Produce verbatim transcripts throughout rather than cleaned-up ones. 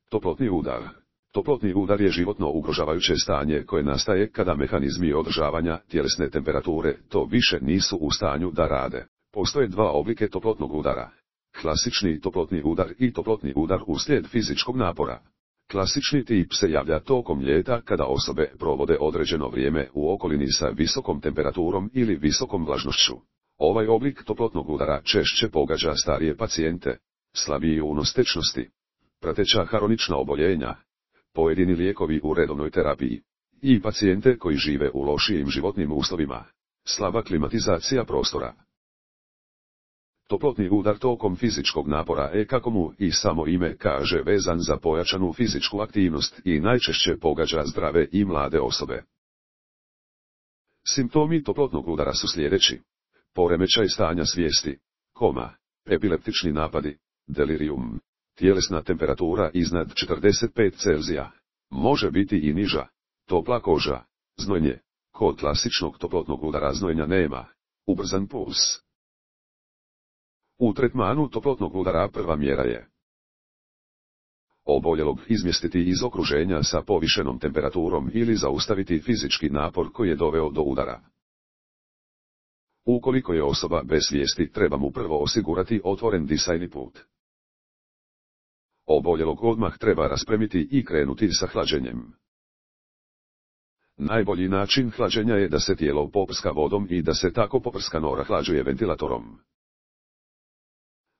Toplotni udar. Toplotni udar je životno ugrožavajuće stanje koje nastaje kada mehanizmi održavanja tjelesne temperature to više nisu u stanju da rade. Postoje dva oblike toplotnog udara. Klasični toplotni udar i toplotni udar uslijed fizičkog napora. Klasični tip se javlja tokom ljeta kada osobe provode određeno vrijeme u okolini sa visokom temperaturom ili visokom vlažnošću. Ovaj oblik toplotnog udara češće pogađa starije pacijente, slabiji unos tečnosti, prateća hronična oboljenja, pojedini lijekovi u redovnoj terapiji i pacijente koji žive u lošijim životnim uslovima, slaba klimatizacija prostora. Toplotni udar tokom fizičkog napora je, kako mu i samo ime kaže, vezan za pojačanu fizičku aktivnost i najčešće pogađa zdrave i mlade osobe. Simptomi toplotnog udara su sljedeći: poremećaj stanja svijesti, koma, epileptični napadi, delirium, tjelesna temperatura iznad četrdeset pet Celzija, može biti i niža, topla koža, znojenje, kod klasičnog toplotnog udara znojenja nema, ubrzan puls. U tretmanu toplotnog udara prva mjera je oboljelog izmjestiti iz okruženja sa povišenom temperaturom ili zaustaviti fizički napor koji je doveo do udara. Ukoliko je osoba bez svijesti, treba mu prvo osigurati otvoren disajni put. Oboljelog odmah treba raspremiti i krenuti sa hlađenjem. Najbolji način hlađenja je da se tijelo poprska vodom i da se tako poprskano rahlađuje ventilatorom.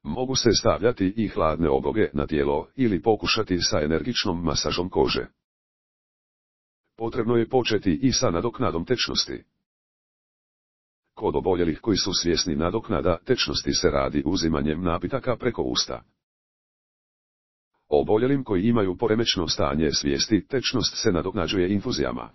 Mogu se stavljati i hladne obloge na tijelo ili pokušati sa energičnom masažom kože. Potrebno je početi i sa nadoknadom tečnosti. Kod oboljelih koji su svjesni, nadoknada tečnosti se radi uzimanjem napitaka preko usta. Oboljelim koji imaju poremećeno stanje svijesti, tečnost se nadoknađuje infuzijama.